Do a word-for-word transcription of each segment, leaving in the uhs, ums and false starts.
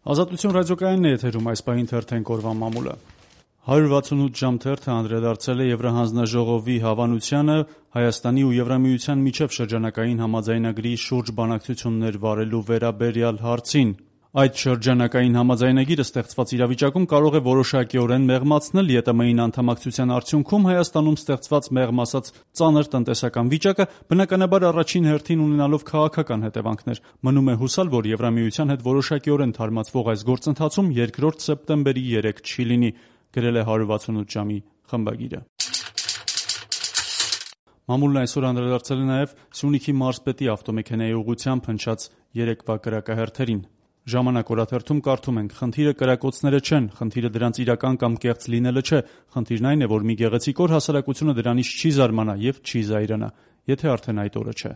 Ազատություն ռադիոկայանն է եթերում, այս պահին թերթենք օրվա մամուլը։ հարյուր վաթսունութ ժամ թերթը անդրադարձել է Եվրահանձնաժողովի հավանությանը Հայաստանի ու Եվրամիության միջև շրջանակային համաձայնագրի շուրջ բանակցություններ վարելու վերաբերյալ հարցին։ Այդ շրջանակային համաձայնագիրը ստեղծված իրավիճակում կարող է որոշակիորեն մեղմացնել ԵՏՄ-ին անդամակցության արդյունքում Հայաստանում ստեղծված մեղմ ասած ծանր տնտեսական վիճակը, բնականաբար առաջին հերթին ունենալով քաղաքական հետևանքներ։ Մնում է հուսալ, որ Եվրամիության հետ որոշակիորեն թարմացվող այս գործընթացում երկրորդ սեպտեմբերի երեկ չի լինի, գրել է հարյուր վաթսունութ ժամի խմբագիրը։ Մամուլն այսօր անդրադարձել է նաև Սյունիքի մարզպետի ավտոմեքենայի ուղղությամբ հնչած երեկվա կրակահերթերին։ Ժամանակ օրաթերթում կարդում ենք. խնդիրը կրակոցները չեն, խնդիրը դրանց իրական կամ կեղծ լինելը չէ, խնդիրն այն է, որ մի գեղեցիկ օր հասարակությունը դրանից չի զարմանա եւ չի զայրանա, եթե արդեն այդ օրը չէ։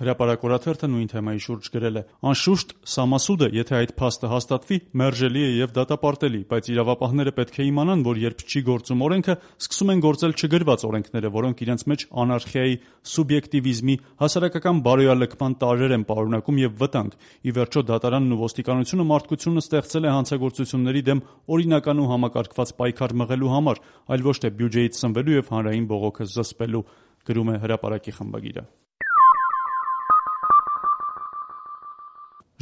Հրապարակ օրաթերթը նույն թեմայի շուրջ գրել է. անշուշտ սամասուդը, եթե այդ փաստը հաստատվի, մերժելի է եւ դատապարտելի, բայց իրավապահները պետք է իմանան, որ երբ չի գործում օրենքը, սկսում են գործել չգրված օրենքները, որոնք իրենց մեջ անարխիայի, սուբյեկտիվիզմի, հասարակական բարոյալքման տարրեր են պարունակում եւ վտանգ։ Ի վերջո դատարանն ու ոստիկանությունը մարդկությունը ստեղծել է հանցագործությունների դեմ օրինական ու համակարգված պայքար մղելու համար, այլ ոչ թե բյուջեից սնվելու եւ հանրային բողոքը զսպելու, գրում է Հրապարակի խմբագիրը։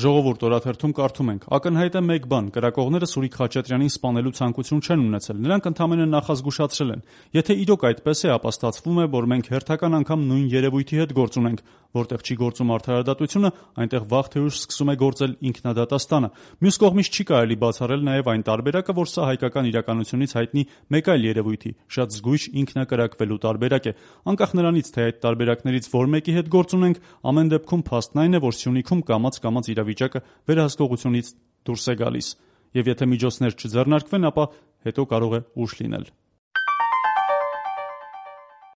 Ժողովուրդ օրաթերթում կարդում ենք. ակնհայտ է մեկ բան, կրակողները Սուրիկ Խաչատրյանին սպանելու ցանկություն չեն ունեցել, նրանք ընդամենը նախազգուշացրել են։ Եթե իրոք այդպես է, ապա ստացվում է, որ մենք հերթական անգամ նույն երևույթի հետ գործ ունենք, որտեղ չի գործում արդարադատությունը, այնտեղ վաղ թե ուշ սկսում է գործել ինքնադատաստանը։ Մյուս կողմից չի կարելի բացառել նաև այն տարբերակը, որ սա հայկական իրականությունից հայտնի մեկ այլ երևույթի՝ շատ զգույշ ինքնակրակվելու տարբերակ է։ Անկախ նրանից, թե այդ տարբերակներից որ մեկի հետ գործ ունենք, ամեն դեպքում փաստն այն է, որ Սյունիքում կամաց-կամաց իրավիճակը վերահսկողությունից դուրս է գալիս, եւ եթե միջոցներ չձեռնարկվեն, ապա հետո կարող է ուշ լինել։